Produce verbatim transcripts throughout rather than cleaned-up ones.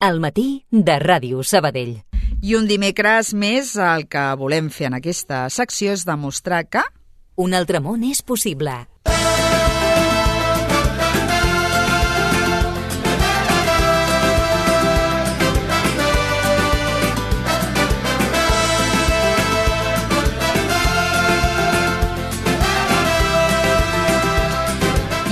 Al matí de Ràdio Sabadell. I un dimecres més el que volem fer en aquesta secció és demostrar que un altre món és possible.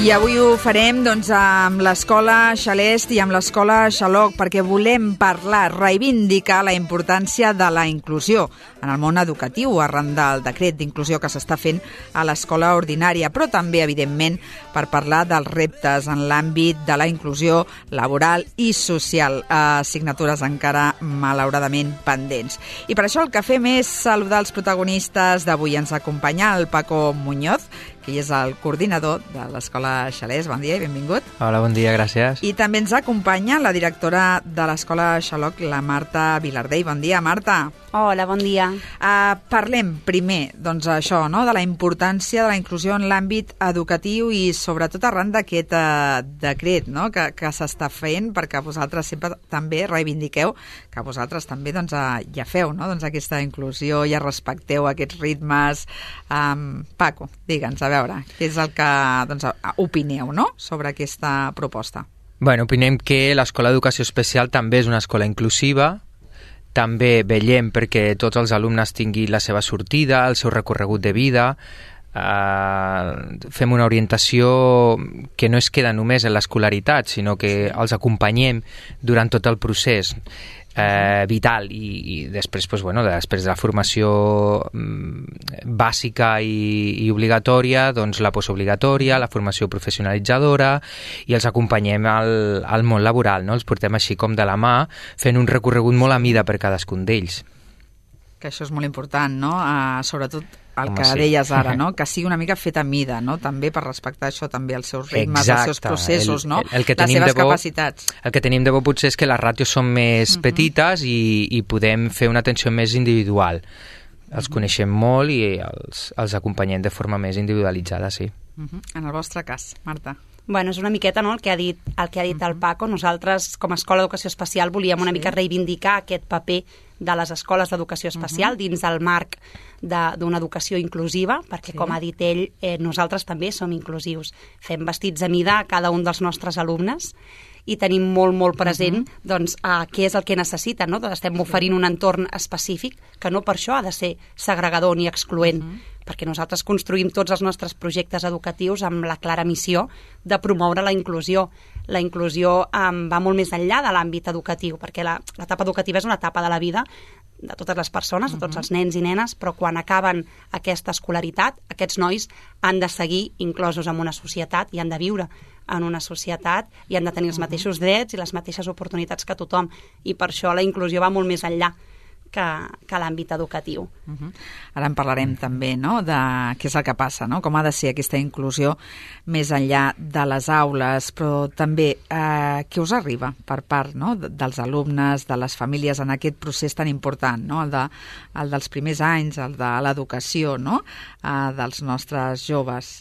I avui ho farem doncs, amb l'Escola Xalest i amb l'Escola Xaloc perquè volem parlar, reivindicar la importància de la inclusió en el món educatiu arran del decret d'inclusió que s'està fent a l'escola ordinària, però també, evidentment, per parlar dels reptes en l'àmbit de la inclusió laboral i social, assignatures encara malauradament pendents. I per això el que fem és saludar els protagonistes d'avui. Ens acompanya el Paco Muñoz, que és el coordinador de l'Escola Xalest. Bon dia i benvingut. Hola, bon dia, gràcies. I també ens acompanya la directora de l'Escola Xaloc, la Marta Vilardell. Bon dia, Marta. Hola, bon dia. Uh, parlem primer, doncs, això, no?, de la importància de la inclusió en l'àmbit educatiu i sobretot arran d'aquest uh, decret, no?, que, que s'està fent, perquè vosaltres sempre també reivindiqueu que vosaltres també doncs, uh, ja feu, no?, doncs, aquesta inclusió, ja respecteu aquests ritmes. Um, Paco, digue'ns, a veure, què és el que doncs, opineu, no?, sobre aquesta proposta. Bueno, opinem que l'Escola d'Educació Especial també és una escola inclusiva. També vetllem perquè tots els alumnes tinguin la seva sortida, el seu recorregut de vida. Uh, fem una orientació que no es queda només en l'escolaritat, sinó que els acompanyem durant tot el procés eh, vital i, i després, pues, bueno, després de la formació mm, bàsica i, i obligatòria, doncs la postobligatòria, la formació professionalitzadora, i els acompanyem al, al món laboral, no? Els portem així com de la mà, fent un recorregut molt a mida per cadascun d'ells. Que això és molt important, no? Uh, sobretot el Home, que sí. deies ara, no? Que sigui una mica fet a mida, no? També per respectar això, també els seus ritmes, Exacte. els seus processos, el, no? El, el que les seves de bo, capacitats. El que tenim de bo potser és que les ràtios són més uh-huh. petites i, i podem fer una atenció més individual. Els uh-huh. coneixem molt i els, els acompanyem de forma més individualitzada, sí. Uh-huh. En el vostre cas, Marta. Bueno, és una miqueta, no?, el que ha dit, el que ha dit uh-huh. el Paco. Nosaltres, com a Escola d'Educació Especial, volíem una sí. mica reivindicar aquest paper de les escoles d'educació especial uh-huh. dins del marc d'una educació inclusiva, perquè, sí. com ha dit ell, eh, nosaltres també som inclusius. Fem vestits a mida a cada un dels nostres alumnes i tenim molt, molt present uh-huh. doncs, eh, què és el que necessiten, no? Doncs estem oferint un entorn específic que no per això ha de ser segregador ni excloent, uh-huh. perquè nosaltres construïm tots els nostres projectes educatius amb la clara missió de promoure la inclusió. La inclusió um, va molt més enllà de l'àmbit educatiu, perquè l'etapa educativa és una etapa de la vida de totes les persones, de tots els nens i nenes, però quan acaben aquesta escolaritat, aquests nois han de seguir inclosos en una societat i han de viure en una societat i han de tenir els mateixos drets i les mateixes oportunitats que tothom. I per això la inclusió va molt més enllà que, que l'àmbit educatiu. Uh-huh. Ara en parlarem també, no?, de què és el que passa, no?, com ha de ser aquesta inclusió més enllà de les aules, però també eh, què us arriba per part, no?, dels alumnes, de les famílies en aquest procés tan important, no?, el, de, el dels primers anys, el de l'educació, no?, eh, dels nostres joves.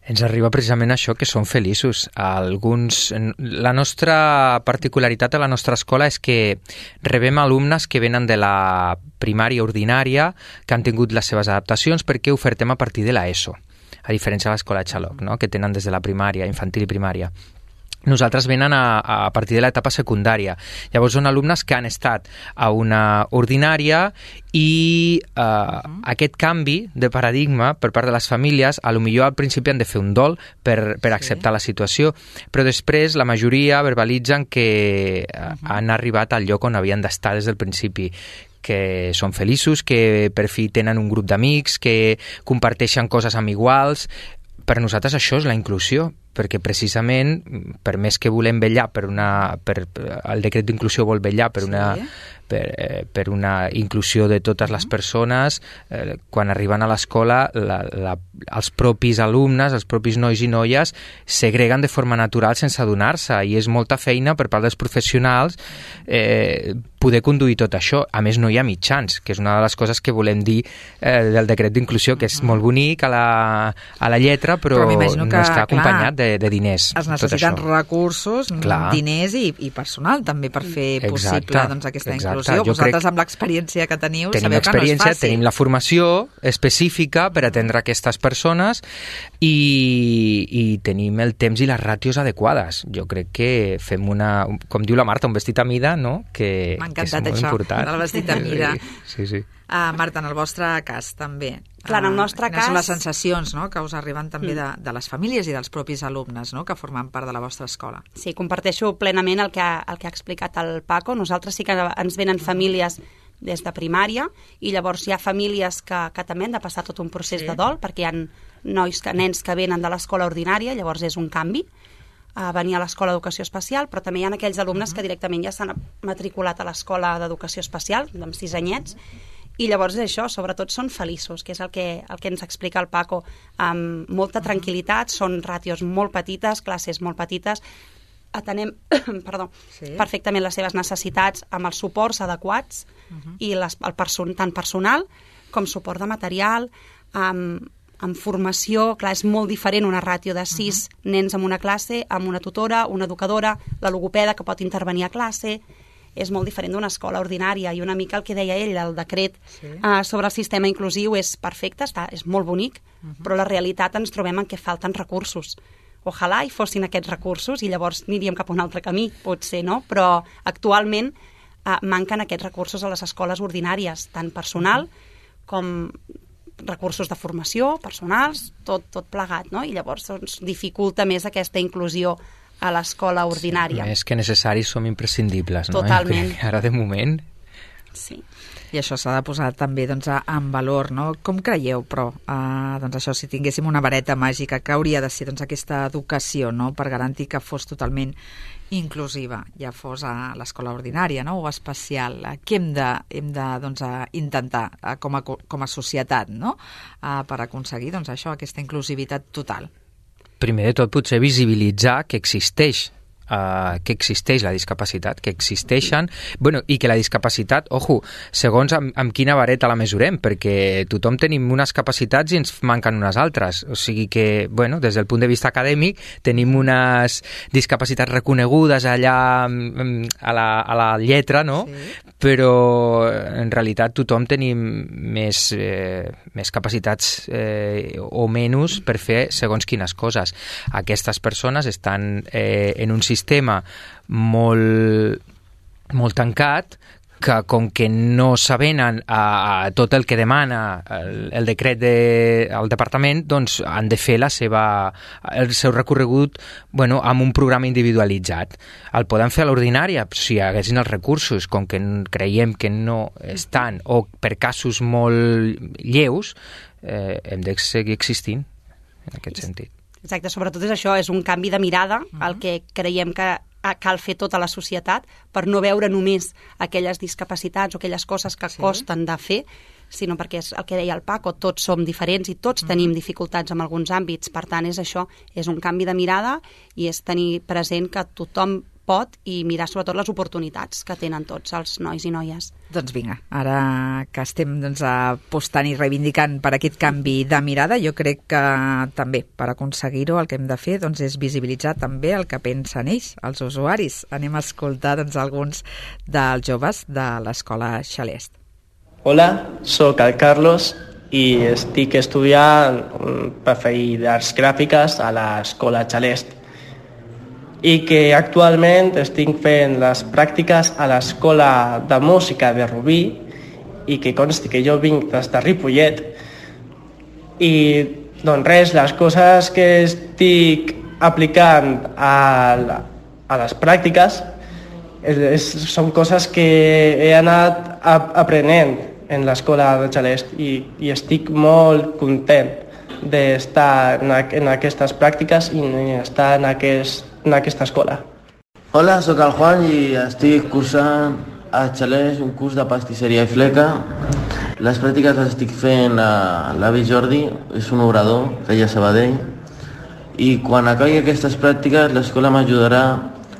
Ens arriba precisament això, que són feliços. Alguns, la nostra particularitat a la nostra escola és que rebem alumnes que venen de la primària ordinària, que han tingut les seves adaptacions, perquè ofertem a partir de l'ESO, a diferència de l'escola Xaloc, no?, que tenen des de la primària, infantil i primària. Nosaltres venen a, a partir de l'etapa secundària. Llavors són alumnes que han estat a una ordinària i eh, uh-huh. aquest canvi de paradigma per part de les famílies, a lo millor al principi han de fer un dol per, per acceptar sí. la situació, però després la majoria verbalitzen que uh-huh. han arribat al lloc on havien d'estar des del principi, que són feliços, que per fi tenen un grup d'amics, que comparteixen coses amb iguals. Per nosaltres això és la inclusió, perquè precisament, per més que volem vetllar per una... Per, el decret d'inclusió vol vetllar per una... Sí. Per, eh, per una inclusió de totes les persones, eh, quan arriben a l'escola la, la, els propis alumnes, els propis nois i noies segreguen de forma natural sense adonar-se, i és molta feina per part dels professionals eh, poder conduir tot això. A més, no hi ha mitjans, que és una de les coses que volem dir eh, del decret d'inclusió, que és molt bonic a la, a la lletra, però, però no està acompanyat de, de, de diners. Es necessiten recursos, Clar. diners i, i personal també per fer exacte, possible doncs, aquesta exacte. inclusió. Jo Vosaltres crec... amb l'experiència que teniu sabeu que no és fàcil. Tenim la formació específica per atendre aquestes persones i, i tenim el temps i les ràtios adequades. Jo crec que fem una, com diu la Marta, un vestit a mida, no? que, M'ha que és molt això, important. del vestit a mida. Sí, sí. Uh, Marta, en el vostre cas també. Clar, en el nostre uh, quines cas... són les sensacions no? que us arriben també de, de les famílies i dels propis alumnes no? que formen part de la vostra escola? Sí, comparteixo plenament el que ha, el que ha explicat el Paco. Nosaltres sí que ens venen famílies des de primària i llavors hi ha famílies que, que també han de passar tot un procés sí. de dol perquè hi ha nois, que, nens que venen de l'escola ordinària, llavors és un canvi a venir a l'escola d'educació especial, però també hi ha aquells alumnes uh -huh. que directament ja s'han matriculat a l'escola d'educació especial, amb sis anyets, i llavors és això, sobretot són feliços, que és el que, el que ens explica el Paco, amb molta tranquil·litat, són ràtios molt petites, classes molt petites, atenem perdó, sí. perfectament les seves necessitats amb els suports adequats uh -huh. i les, el person, tant personal com suport de material, amb, amb formació. Clar, és molt diferent una ràtio de sis uh -huh. nens en una classe, amb una tutora, una educadora, la logopeda que pot intervenir a classe. És molt diferent d'una escola ordinària i una mica el que deia ell, el decret sí. uh, sobre el sistema inclusiu és perfecte, està, és molt bonic, uh -huh. però la realitat ens trobem en què falten recursos. Ojalà hi fossin aquests recursos i llavors aniríem cap a un altre camí, potser, no? Però actualment uh, manquen aquests recursos a les escoles ordinàries, tant personal uh -huh. com recursos de formació, personals, tot, tot plegat, no? I llavors doncs, dificulta més aquesta inclusió a l'escola ordinària. Sí, més que necessaris som imprescindibles, no? Totalment. Ara de moment... Sí. I això s'ha de posar també doncs, en valor, no? Com creieu, però, uh, doncs això, si tinguéssim una vareta màgica, que hauria de ser doncs, aquesta educació, no?, per garantir que fos totalment inclusiva, ja fos a l'escola ordinària, no?, o especial. Què hem de, hem de doncs, intentar uh, com, a, com a societat, no?, uh, per aconseguir doncs, això, aquesta inclusivitat total? Primer de tot, potser visibilitzar que existeix Uh, que existeix la discapacitat, que existeixen, bueno, i que la discapacitat, ojo, segons amb, amb quina vareta la mesurem, perquè tothom tenim unes capacitats i ens manquen unes altres, o sigui que, bueno, des del punt de vista acadèmic tenim unes discapacitats reconegudes allà a la, a la lletra, no? Sí. Però en realitat tothom tenim més, eh, més capacitats eh, o menys per fer segons quines coses. Aquestes persones estan eh, en un sistema sistema molt, molt tancat, que com que no s'avenen a, a tot el que demana el, el decret del de, departament, doncs han de fer la seva, el seu recorregut bueno, amb un programa individualitzat. El poden fer a l'ordinària si hi haguessin els recursos, com que creiem que no estan, o per casos molt lleus, eh, hem de seguir existint en aquest sentit. Exacte, sobretot és això, és un canvi de mirada, uh-huh. el que creiem que cal fer tota la societat per no veure només aquelles discapacitats o aquelles coses que sí. costen de fer, sinó perquè és el que deia el Paco, tots som diferents i tots uh-huh. tenim dificultats en alguns àmbits, per tant és això, és un canvi de mirada i és tenir present que tothom pot i mirar sobretot les oportunitats que tenen tots els nois i noies. Doncs vinga, ara que estem doncs, apostant i reivindicant per aquest canvi de mirada, jo crec que també per aconseguir-ho el que hem de fer doncs, és visibilitzar també el que pensen ells, els usuaris. Anem a escoltar doncs, alguns dels joves de l'escola Xalest. Hola, sóc el Carlos i estic estudiant per fer arts gràfiques a l'escola Xalest i que actualment estic fent les pràctiques a l'escola de música de Rubí i que consti que jo vinc des de Ripollet i doncs res, les coses que estic aplicant a, a les pràctiques és, és, són coses que he anat aprenent en l'escola de Xalest i, i estic molt content d'estar en, en aquestes pràctiques i estar en, aquest, en aquesta escola. Hola, sóc el Juan i estic cursant a Xalest un curs de pastisseria i fleca. Les pràctiques les estic fent a l'avi Jordi, és un obrador que hi ha a Sabadell, i quan acabi aquestes pràctiques l'escola m'ajudarà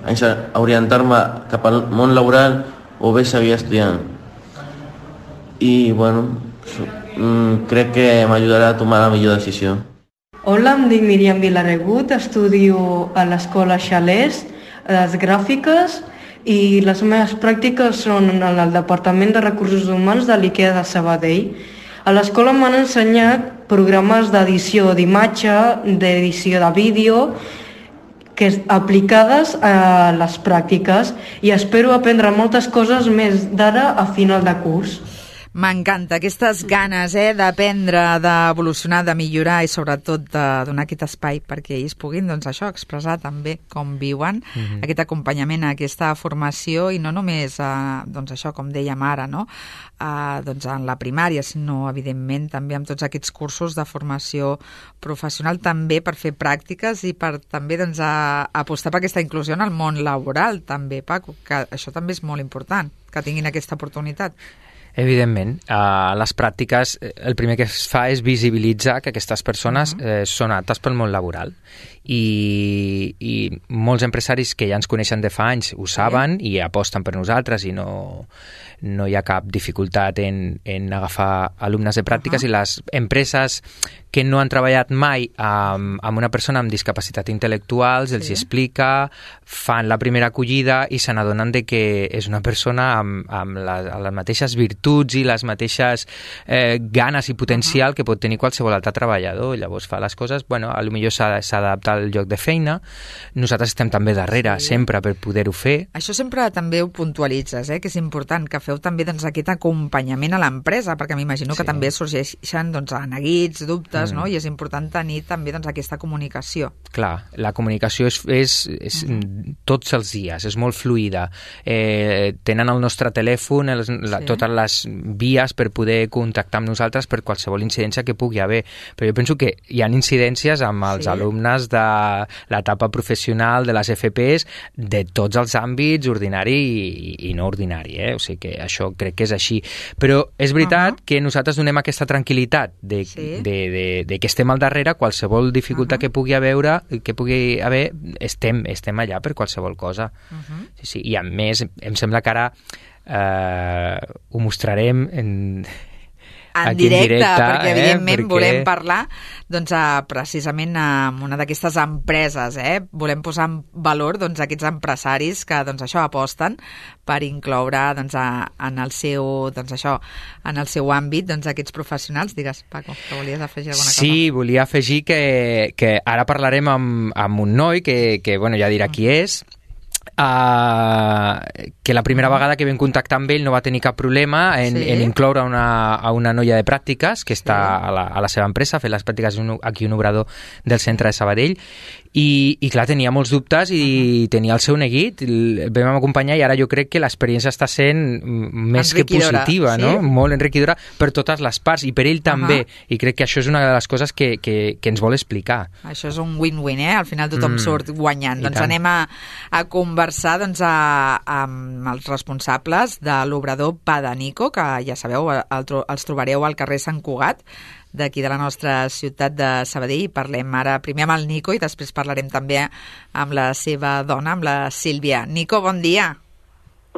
a orientar-me cap al món laboral o bé seguir estudiant. I, bueno, crec que m'ajudarà a tomar la millor decisió. Hola, em dic Míriam Vilaregut, estudio a l'escola Xalès, les gràfiques, i les meves pràctiques són en el Departament de Recursos Humans de l'IKEA de Sabadell. A l'escola m'han ensenyat programes d'edició d'imatge, d'edició de vídeo, que aplicades a les pràctiques, i espero aprendre moltes coses més d'ara a final de curs. M'encanta aquestes ganes eh, d'aprendre, d'evolucionar, de millorar i sobretot de donar aquest espai perquè ells puguin doncs, això expressar també com viuen, mm-hmm. aquest acompanyament, aquesta formació i no només eh, doncs, això com dèiem ara, no? eh, doncs en la primària, sinó evidentment també amb tots aquests cursos de formació professional també per fer pràctiques i per també doncs, a, a apostar per aquesta inclusió en el món laboral també, Paco, que això també és molt important, que tinguin aquesta oportunitat. Evidentment, a les pràctiques el primer que es fa és visibilitzar que aquestes persones eh, són aptes pel món laboral i, i molts empresaris que ja ens coneixen de fa anys ho saben i aposten per nosaltres i no, no hi ha cap dificultat en, en agafar alumnes de pràctiques uh-huh. i les empreses que no han treballat mai amb, amb una persona amb discapacitat intel·lectual, els sí. explica, fan la primera acollida i se n'adonen de que és una persona amb, amb les, les mateixes virtuts i les mateixes eh, ganes i potencial uh-huh. que pot tenir qualsevol altre treballador. Llavors fa les coses, bueno, potser s'adapta al lloc de feina. Nosaltres estem també darrere, sí. sempre, per poder-ho fer. Això sempre també ho puntualitzes, eh? que és important que feu també doncs, aquest acompanyament a l'empresa, perquè m'imagino sí. que també sorgeixen doncs, neguits, dubtes, mm. no? I és important tenir també doncs, aquesta comunicació. Clar, la comunicació és, és, és mm. tots els dies, és molt fluida. Eh, tenen el nostre telèfon, els, la, sí. totes les vies per poder contactar amb nosaltres per qualsevol incidència que pugui haver. Però jo penso que hi ha incidències amb els sí. alumnes de l'etapa professional, de les F Pes, de tots els àmbits, ordinari i, i no ordinari. Eh? O sigui que això crec que és així. Però és veritat uh-huh. que nosaltres donem aquesta tranquil·litat de, sí. de, de, de que estem al darrere, qualsevol dificultat uh-huh. que pugui haver, que pugui haver estem, estem allà per qualsevol cosa. Uh-huh. Sí, sí. I a més, em sembla que ara eh, ho mostrarem en... en directe, en directe, perquè evidentment eh, perquè... volem parlar doncs, a, precisament amb una d'aquestes empreses, eh? Volem posar en valor doncs, aquests empresaris que doncs, això aposten per incloure doncs, a, en, el seu, doncs, això, en el seu àmbit doncs, aquests professionals. Digues, Paco, que volies afegir alguna cosa? Sí, volia afegir que, que ara parlarem amb, amb un noi que, que bueno, ja dirà qui és, Uh, que la primera vegada que vam contactar amb ell no va tenir cap problema en, sí. en incloure una, a una noia de pràctiques que està sí. a, la, a la seva empresa, fent les pràctiques aquí un obrador del centre de Sabadell i, i clar, tenia molts dubtes i uh-huh. tenia el seu neguit, el vam acompanyar i ara jo crec que l'experiència està sent més que positiva, sí? no? Molt enriquidora per totes les parts i per ell també, uh-huh. i crec que això és una de les coses que, que, que ens vol explicar. Això és un win-win, eh? Al final tothom mm. surt guanyant. I doncs tant. Anem a, a conversar doncs, a, amb els responsables de l'obrador Pa de Nico, que ja sabeu, el, els trobareu al carrer Sant Cugat, d'aquí de la nostra ciutat de Sabadell. Parlem ara primer amb el Nico i després parlarem també amb la seva dona, amb la Sílvia. Nico, bon dia.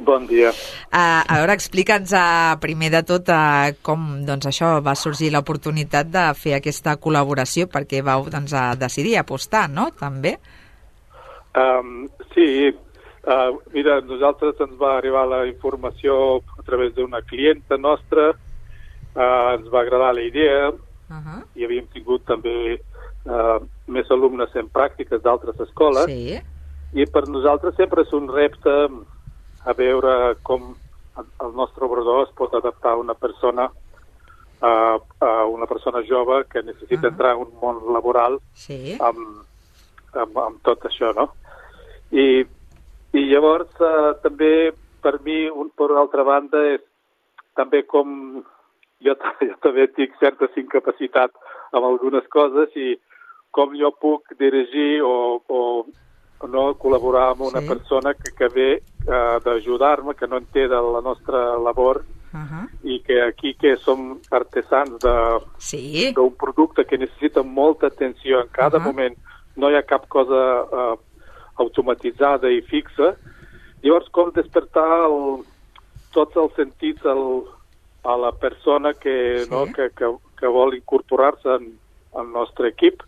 Bon dia. Uh, a veure, explica'ns uh, primer de tot uh, com doncs, això va sorgir l'oportunitat de fer aquesta col·laboració, perquè vau doncs, a decidir apostar, no?, també? Um, sí, uh, mira, nosaltres ens va arribar la informació a través d'una clienta nostra, uh, ens va agradar la idea, uh-huh. i havíem tingut també uh, més alumnes en pràctiques d'altres escoles, sí. i per nosaltres sempre és un repte a veure com el nostre obrador es pot adaptar a una persona, uh, a una persona jove que necessita uh-huh. entrar en un món laboral sí. amb, amb, amb tot això, no? I, i llavors uh, també per mi, un, per altra banda, és també com jo, jo també tinc certa incapacitat amb algunes coses i com jo puc dirigir o, o no col·laborar amb una sí. persona que, que ve uh, d'ajudar-me, que no entén de la nostra labor uh-huh. i que aquí que som artesans d'un sí. producte que necessita molta atenció en cada uh-huh. moment, no hi ha cap cosa uh, automatitzada i fixa. Llavors, com despertar el, tots els sentits al, a la persona que, sí. no, que, que, que vol incorporar-se en el nostre equip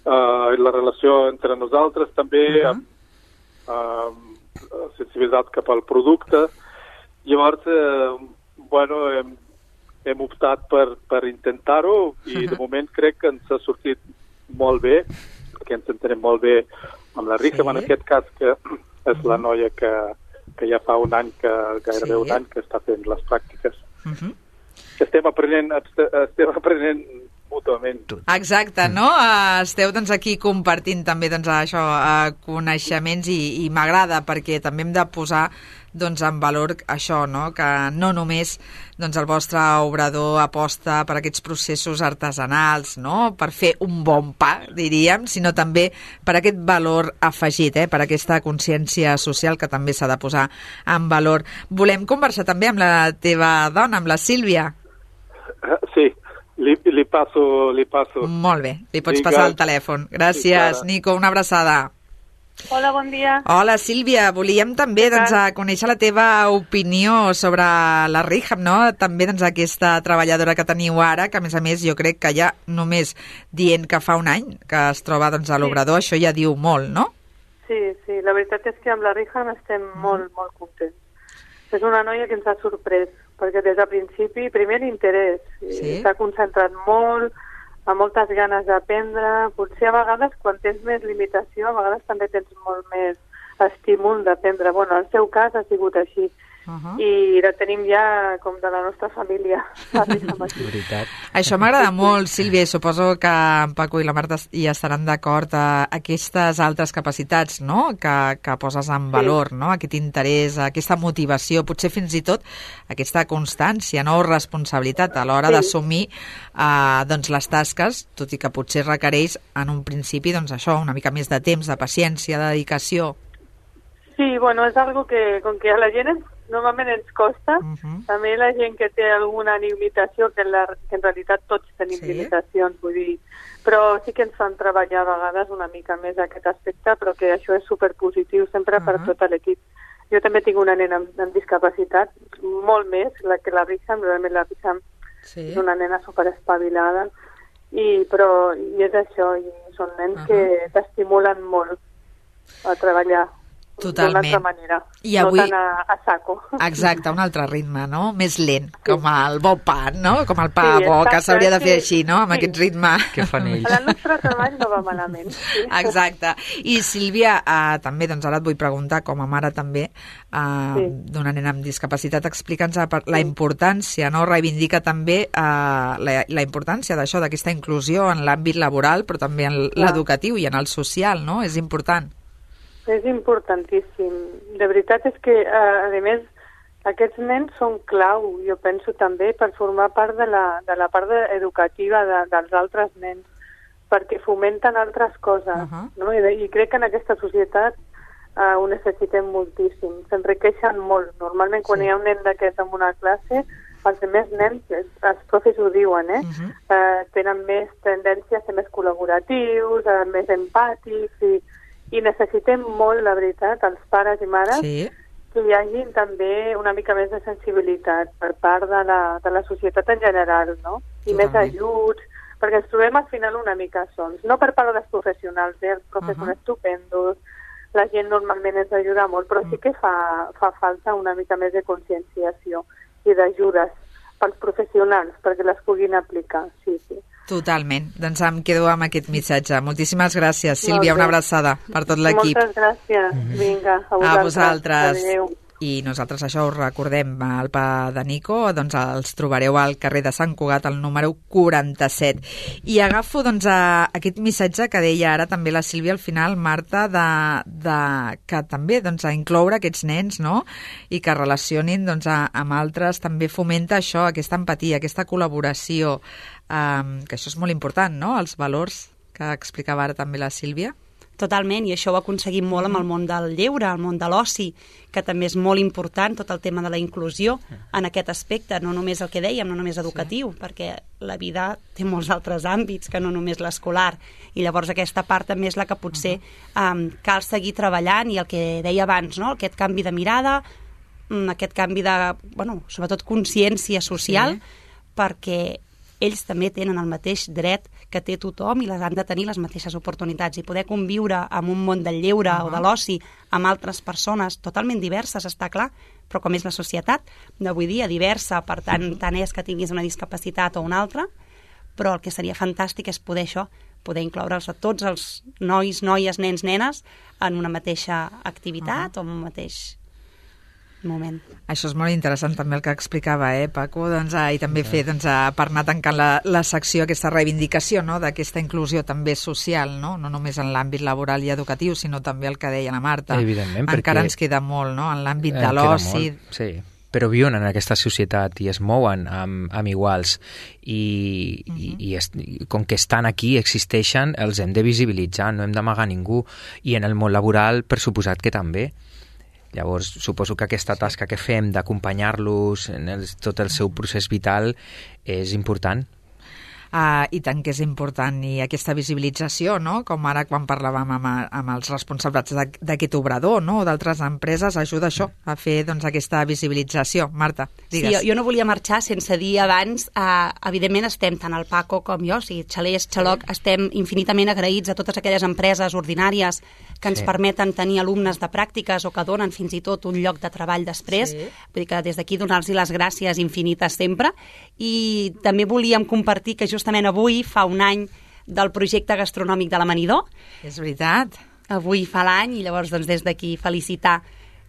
uh, la relació entre nosaltres també, uh -huh. amb uh, sensibilitat cap al producte. Llavors, uh, bueno, hem, hem optat per, per intentar-ho i uh -huh. de moment crec que ens ha sortit molt bé, perquè ens entenem molt bé amb la Rica, sí. En aquest cas que és la noia que, que ja fa un any, que gairebé sí. un any que està fent les pràctiques. Uh -huh. Estem aprenent, estem aprenent mútuament. Exacte, no? Esteu doncs, aquí compartint també doncs, això, coneixements i, i m'agrada perquè també hem de posar doncs, en valor això, no? Que no només doncs, el vostre obrador aposta per aquests processos artesanals, no? Per fer un bon pa, diríem, sinó també per aquest valor afegit, eh? Per aquesta consciència social que també s'ha de posar en valor. Volem conversar també amb la teva dona, amb la Sílvia. Sí, li, li, passo, li passo. Molt bé, li pots Vinga. Passar el telèfon. Gràcies, sí, Nico, una abraçada. Hola, bon dia. Hola, Sílvia. Volíem també doncs, a conèixer la teva opinió sobre la Rihab, no? També doncs, aquesta treballadora que teniu ara, que a més a més jo crec que ja només dient que fa un any que es troba doncs, a l'obrador, sí. Això ja diu molt, no? Sí, sí, la veritat és que amb la Rihab estem molt, molt contents. És una noia que ens ha sorprès, perquè des del principi, primer l'interès, sí? S'ha concentrat molt, amb moltes ganes d'aprendre. Potser a vegades, quan tens més limitació, a vegades també tens molt més estímul d'aprendre. Bueno, en el seu cas ha sigut així. Uh-huh. I la tenim ja com de la nostra família. Això m'agrada molt, Sílvia, i suposo que en Paco i la Marta hi estaran d'acord a aquestes altres capacitats, no? que, que poses en valor, sí. No? Aquest interès, aquesta motivació, potser fins i tot aquesta constància, no? O responsabilitat a l'hora sí. D'assumir eh, doncs les tasques, tot i que potser requereix en un principi doncs això, una mica més de temps, de paciència, de dedicació. Sí, bueno, és algo que com que a la gent ens, normalment ens costa, uh-huh. També la gent que té alguna limitació, que en, la, que en realitat tots tenim sí. Limitacions, vull dir, però sí que ens fan treballar a vegades una mica més aquest aspecte, però que això és superpositiu sempre uh-huh. Per tot l'equip. Jo també tinc una nena amb, amb discapacitat, molt més la que la Riham, realment la Riham sí. És una nena superespavilada, i, però i és això, i són nens uh-huh. Que t'estimulen molt a treballar. Totalment. D'una altra manera, I avui... no tant a, a saco. Exacte, un altre ritme, no? Més lent, sí. Com el bo pa, no? Com el pa sí, bo, exacte, que s'hauria de fer sí. Així, no? Amb sí. Aquest ritme. Que fan ells. El nostre treball no va malament. Sí. Exacte. I Sílvia, eh, també, doncs ara et vull preguntar, com a mare també, eh, sí. D'una nena amb discapacitat, explica'ns la importància, no? Reivindica també eh, la, la importància d'això, d'aquesta inclusió en l'àmbit laboral, però també en l'educatiu i en el social, no? És important. És importantíssim. De veritat és que, a més, aquests nens són clau, jo penso també, per formar part de la, de la part educativa de, dels altres nens, perquè fomenten altres coses, uh-huh. No? I, I crec que en aquesta societat uh, ho necessitem moltíssim. S'enriqueixen molt. Normalment, quan sí. Hi ha un nen d'aquest en una classe, els més nens, els profes ho diuen, eh? Uh-huh. Uh, tenen més tendència a ser més col·laboratius, uh, més empàtics, i I necessitem molt, la veritat, els pares i mares, sí. Que hi hagi també una mica més de sensibilitat per part de la, de la societat en general, no? I Totalment. Més ajuts, perquè ens trobem al final una mica sols. No per part dels professionals, eh? Els professors uh-huh. estupendos, la gent normalment ens ajuda molt, però sí que fa, fa falta una mica més de conscienciació i d'ajudes pels professionals perquè les puguin aplicar, sí, sí. Totalment. Doncs em quedo amb aquest missatge. Moltíssimes gràcies, Sílvia. Una abraçada per tot l'equip. Moltes gràcies. Vinga, a vosaltres. A vosaltres. Adéu. I nosaltres això us recordem, el pa de Nico, doncs els trobareu al carrer de Sant Cugat, al número quaranta-set. I agafo doncs a aquest missatge que deia ara també la Sílvia al final, Marta, de, de que també doncs, a incloure aquests nens, no? I que relacionin doncs, a, amb altres, també fomenta això, aquesta empatia, aquesta col·laboració, um, que això és molt important, no? Els valors que explicava ara també la Sílvia. Totalment, i això ho aconseguim molt amb el món del lleure, el món de l'oci, que també és molt important, tot el tema de la inclusió en aquest aspecte, no només el que dèiem, no només educatiu, sí. Perquè la vida té molts altres àmbits que no només l'escolar, i llavors aquesta part també és la que potser um, cal seguir treballant, i el que deia abans, no? Aquest canvi de mirada, aquest canvi de, bueno, sobretot consciència social, sí. Perquè ells també tenen el mateix dret que té tothom i les han de tenir les mateixes oportunitats, i poder conviure en un món del lleure uh -huh. o de l'oci amb altres persones totalment diverses, està clar, però com és la societat d'avui dia, diversa, per tant, tant és que tinguis una discapacitat o una altra, però el que seria fantàstic és poder això, poder incloure'ls a tots els nois, noies, nens, nenes en una mateixa activitat uh -huh. o en un mateix moment. Això és molt interessant també el que explicava, eh, Paco, doncs, eh, i també sí. fer, doncs, eh, per anar tancant la, la secció, aquesta reivindicació, no?, d'aquesta inclusió també social, no?, no només en l'àmbit laboral i educatiu, sinó també el que deia la Marta. Evidentment, encara perquè ens queda molt, no?, en l'àmbit eh, de l'oci. Sí, però viuen en aquesta societat i es mouen amb, amb iguals i, uh-huh. i, i, es, i com que estan aquí, existeixen, els hem de visibilitzar, no hem d'amagar ningú, i en el món laboral, per suposat que també. Llavors, suposo que aquesta tasca que fem d'acompanyar-los en el, tot el seu procés vital és important. Uh, I tant que és important, i aquesta visibilització, no?, com ara quan parlàvem amb, amb els responsables d'aquest obrador, no?, o d'altres empreses, ajuda això, a fer, doncs, aquesta visibilització. Marta, digues. Sí, jo, jo no volia marxar sense dir abans, eh, evidentment estem, tant el Paco com jo, o sigui, Xalès, Xaloc, estem infinitament agraïts a totes aquelles empreses ordinàries que ens sí. permeten tenir alumnes de pràctiques o que donen fins i tot un lloc de treball després. Sí. Vull dir que des d'aquí donar-los les gràcies infinites sempre. I també volíem compartir que justament avui fa un any del projecte gastronòmic de l'Amanidor. És veritat. Avui fa l'any, i llavors doncs, des d'aquí felicitar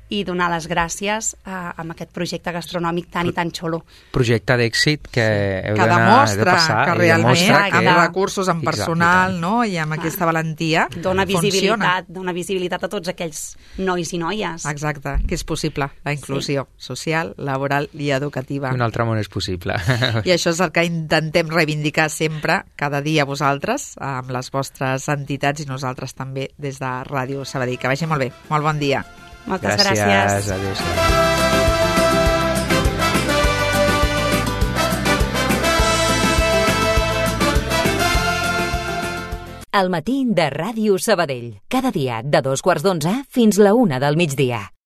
i donar les gràcies a, a aquest projecte gastronòmic tan i tan xulo. Projecte d'èxit que heu que d'anar demostra de passar, que realment demostra que... amb recursos, amb personal, exacte, no?, i amb ah. aquesta valentia dona visibilitat, funciona. dona visibilitat a tots aquells nois i noies. Exacte, que és possible, la inclusió sí. social, laboral i educativa. Un altre món és possible. I això és el que intentem reivindicar sempre, cada dia vosaltres, amb les vostres entitats i nosaltres també des de Ràdio Sabadell. Que vagi molt bé. Molt bon dia. Moltes gràcies. Gràcies. Adéu. El matí de Ràdio Sabadell. Cada dia de dos quarts d'onze fins la una del migdia.